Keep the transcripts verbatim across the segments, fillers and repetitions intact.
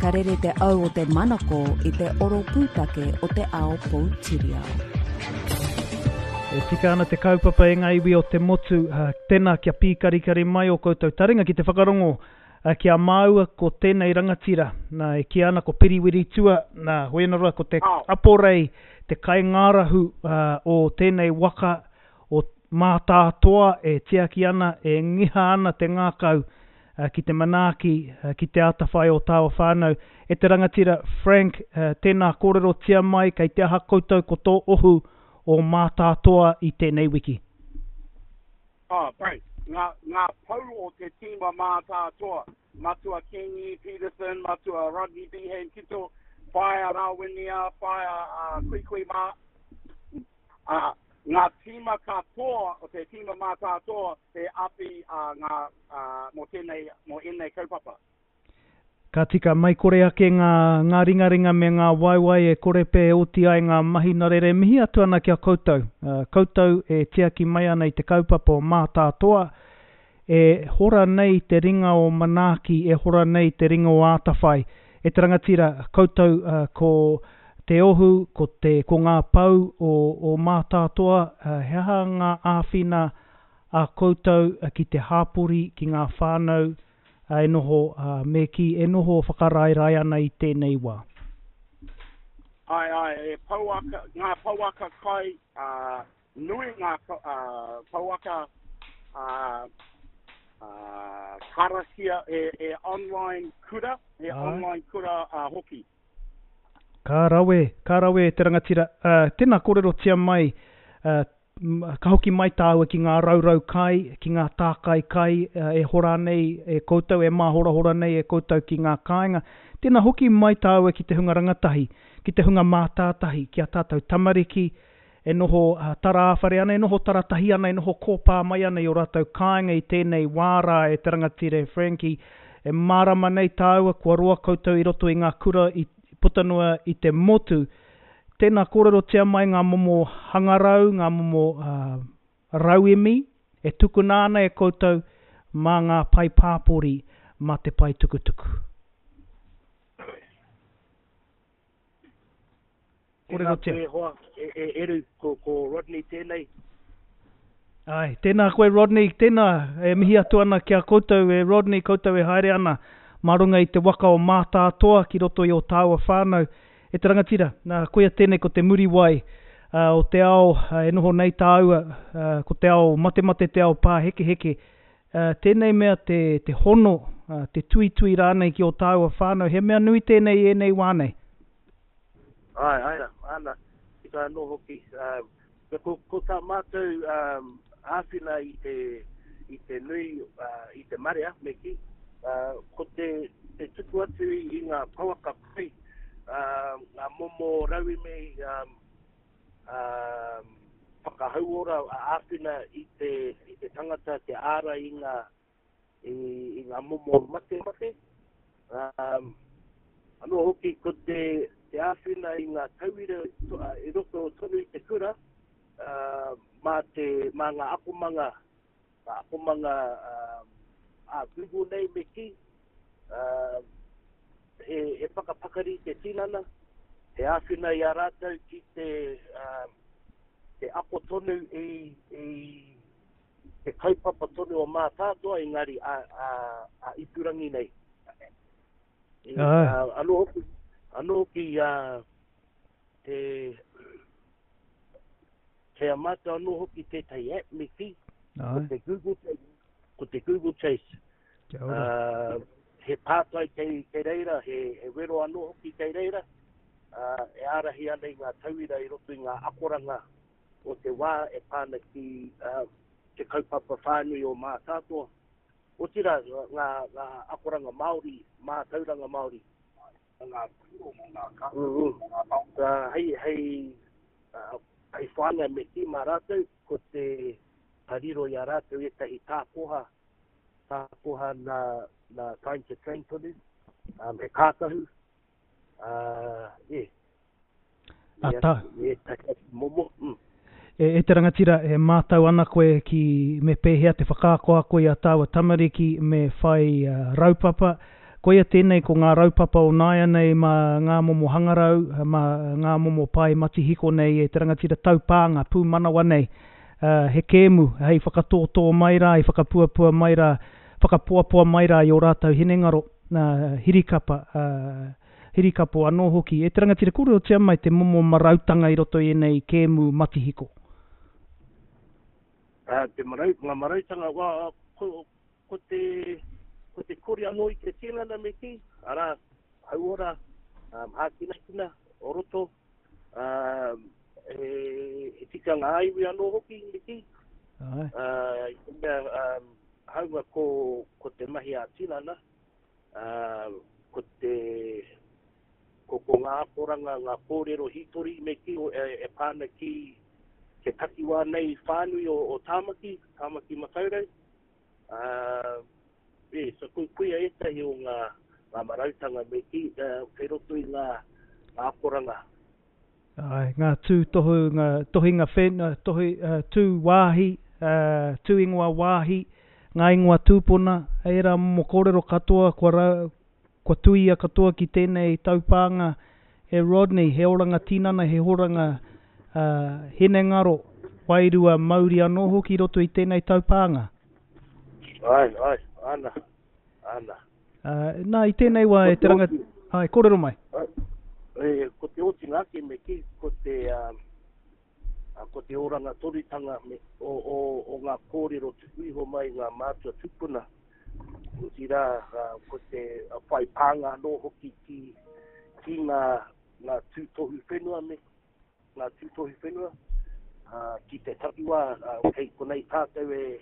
Ka rere te au o te manako i te oro pūtake o te ao poutiriao. E tika ana te kaupapa e ngā iwi o te motu, uh, tēnā kia pīkarikari mai o koutou taringa ki te whakarongo uh, ki a māua ko tēnei rangatira, nā, e kī ana ko Piriwiri Tua, nā, hoena ko te aporei, te kaingārahu uh, o tēnei waka o Mātātoa e tiaki ana, e ngiha ana te ngākau uh, ki te manaaki, uh, ki te atawhai o tāua whānau. E te rangatira Frank, uh, tēnā kōrerotia mai, kei te aha koutou ko tō ohu o Mātātoa i tēnei wiki. Oh, pai. Ngā, ngā pou o te tīma Mātātoa, Matua Kingi Peterson, Matua Rodney Behan Kito, Whaea Rawinia, Whaea uh, Kui Kui Mā, uh, ngā tīma katoa o te tīma Mātātoa e api uh, ngā, uh, mō tēnei, mō ēnei kaupapa. Ka tika, mai kore ake ngā, ngā ringaringa me ngā waewae e kore pē oti ai ngā mahi nā reira e mihi atu ana ki a koutou. Uh, koutou e tiaki mai ana i te kaupapa o Mātātoa, e hora nei te ringa o manaaki, e hora nei te ringa o atawhai. E te rangatira, koutou uh, ko te ohu, ko, te, ko ngā pau o, o Mātātoa, uh, he aha ngā āwhina a koutou uh, ki te hāpori, ki ngā whānau, uh, e noho, uh, me ki, e noho whakaraerae ana i tēnei wā. Ai, ai, e pouaka, ngā pouaka kai, uh, nui ngā uh, pouaka uh, uh, karakia, e, e online kura, e ai. Online kura uh, hoki. Ka rawe, ka rawe te rangatira. Uh, tēnā kōrerotia mai, uh, ka hoki mai tāua ki ngā raurau kai, ki ngā tākai kai uh, e hora nei e koutou, e māhorahora nei e koutou ki ngā kāinga. Tēnā hoki mai tāua ki te hunga rangatahi, ki te hunga mātātahi, ki a tātou tamariki, e noho uh, tarāwhare ana, e noho taratahi ana, e noho kōpā mai ana i o rātou kāinga i tēnei wāra e te rangatira e Frankie. E mārama nei tāua, kua roa koutou i roto i ngā kura i puta noa i te motu. Tēnā kōrerotia mai ngā momo hangarau, ngā momo uh, rauemi e tukuna ana e koutou mā ngā pae pāpori, mā te pae tukutuku. Kōrerotia. Tēnā koe hoa, e, e, Eru, ko, ko Rodney tēnei. Ai, tēnā koe Rodney, tēnā e mihi atu ana ki a koutou e Rodney, koutou e haere ana mā runga i te waka o Mātātoa ki roto i o tāua whānau. E te rangatira, nā, koia tēnei ko te muriwai uh, o te ao uh, e noho nei tāua, uh, ko te ao matemate, te ao pāhekeheke. Uh, tēnei mea te, te hono, uh, te tuitui rānei ki o tāua whānau, he mea nui tēnei e nei wā nei. Ai, ai, ana, tika anō hoki. Um, ko, ko tā mātou um, āwhina i te, i te nui, uh, i te marea, me ki, uh, ko te, te tuku atu i, i ngā pouaka kai, uh, ngā momo rauemi um, um, whakahauora āwhina i te, i te tangata, te āra i ngā, i, i ngā momo matemate. Um, anō hoki ko te, te āwhina i ngā tauira i roto tonu i te kura, uh, mā, te, mā ngā akomanga, ngā akomanga um, a Google nei me ki, uh, he, he whakapakari te tinana, he āwhina i a rātou ki te, uh, te ako tonu i, i te kaupapa tonu o Mātātoa, engari a, a, a ipurangi nei. E, uh, anō hoki, anō hoki uh, te, kei a mātou anō hoki tētahi app me ki, ko te Google Chase, ko te Google Chase. Kia ora. Uh, he pātai kei, kei reira, he, he wero anō hoki kei reira, uh, e ārahi ana i ngā tauira i roto i ngā akoranga o te wā e pāna ki uh, te kaupapa whānui o Mātātoa. Otirā, ngā, ngā akoranga Māori, mātauranga Māori. Ngā pūro mō ngā ka, mm -hmm. mō ngā taonga. Uh, hei, hei, uh, hei whāngai me ki mā rātou, ko te ka riro i a rātou ētahi tākoha, tākoha nā, nā Time to Train tonu, um, he kākahu, uh, yeah. A tā. Me ētahi atu momo. Mm. E, e te rangatira, e mātau ana koe ki me pēhea te whakaakoako i a tāua tamariki me whai uh, raupapa. Koia tēnei ko ngā raupapa o nāianei mā ngā momo hangarau, mā ngā momo pae matihiko nei e te rangatira taupānga pūmanawa nei. Uh, he kēmu hei whakatōtō mai rā, hei whakapuapua mai rā, whakapoapoa mai rā i o rātou hinengaro, uh, hirikapa, uh, hirikapo anō hoki. E te rangatira, kōrerotia mai te momo marautanga i roto i ēnei kēmu matihiko. Uh, te marau, ngā marautanga, wā, ko, ko te... ko te kori anō i te tinana me ki, arā, hauora, um, hākinakina, o roto, um, e, e tikanga ā-iwi anō hoki me ki. Ai. Uh, i te mea, um, haunga ko, ko te mahi ā-tinana, uh, ko te, ko, ko ngā akoranga, ngā kōrero hītori me ki, o, e, e pāna ki te takiwā nei whānui o, o Tāmaki, Tāmaki Makaurau. Uh, E, so kui kuia ētahi o ngā, ngā marautanga me ki, uh, kei roto i ngā, ngā akoranga. Ai, ngā tū tohu, ngā tohinga whenua, tohi, uh, tū wāhi, uh, tū ingoa wāhi, ngā ingoa tūpuna, ērā momo kōrero katoa kua, ra, kua tuia katoa ki tēnei taupānga e Rodney, he oranga tinana, he horanga uh, hinengaro, wairua mauri anō hoki roto i tēnei taupānga. Ai, ai. Ana, ana. Uh, nā, i tēnei wā e te ranga... Ai, kōrero mai. E, ko te otinga ake me ki, ko te, um, ko te oranga toritanga me, o, o, o ngā kōrero tuku iho mai ngā mātua tupuna. Otirā, uh, ko te uh, whai pānga anō hoki ki, ki ngā, ngā tūtohu whenua me, ngā tūtohu whenua, uh, ki te takiwā, uh, kei konei tātou e,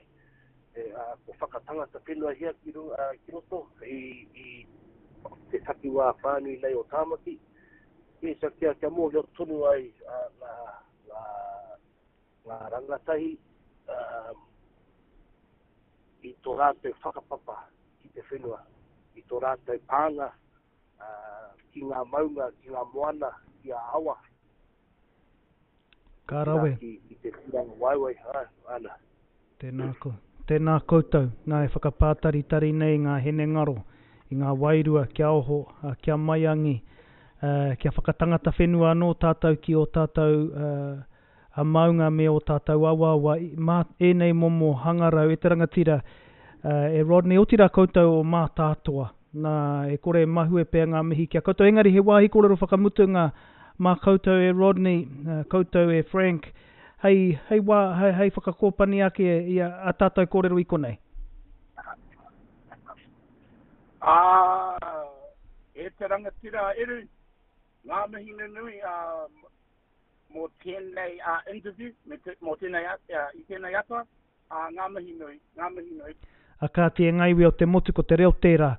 e, uh, ko whakatangata whenua hia ki, uh, ki roto i, i te takiwā whānui nei o Tāmaki. E, so kia, kia mōhio tonu ai uh, ngā, ngā, ngā rangatahi uh, i tō rātou whakapapa ki te whenua, i tō rātou pānga uh, ki ngā maunga, ki ngā moana, ki ngā awa. Ka rawe. Ki, ki te tūranga waewae, ah, ana. Tēnā ko. Tēnā koutou, nā e whakapātaritari nei ngā hinengaro, i ngā wairua kia oho, kia maiangi, uh, kia whakatangata whenua anō tātou ki o tātou uh, a maunga me o tātou awaawa, mā ēnei momo hangarau e te rangatira, uh, e Rodney, otirā koutou o Mātātoa, nā e kore mahue pea ngā mihi kia koutou, engari he wāhi kōrero whakamutunga mā koutou e Rodney, uh, koutou e Frank, hei, hei, wā, hei, hei whakakōpani ake i a, a tātou kōrero i konei. Ah, e te rangatira Eru, ngā mihi nunui uh, mō tēnei uh, interview, me te, mō tēnei, uh, i tēnei ata, uh, ngā mihi nui, ngā mihi nui. A kāti e ngā iwi o te motu ko te reo tērā,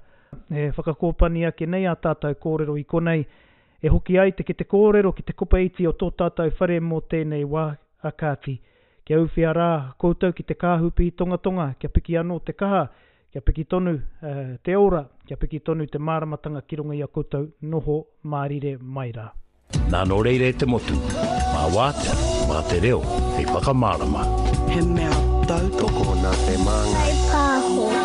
e whakakōpani ake nei a tātou kōrero i konei, e hoki ai te ki te kōrero ki te kopa iti o tō tātou whare mō tēnei wā, a kāti. Kia uwhia rā koutou ki te kāhupi tongatonga, kia piki anō te kaha, kia piki tonu uh, te ora, kia piki tonu te māramatanga ki runga i a koutou noho mārire mai rā. Nā nō reira e te motu, mā wātea, mā te reo, hei whakamārama. He mea tautoko nā te māngai. Pāho.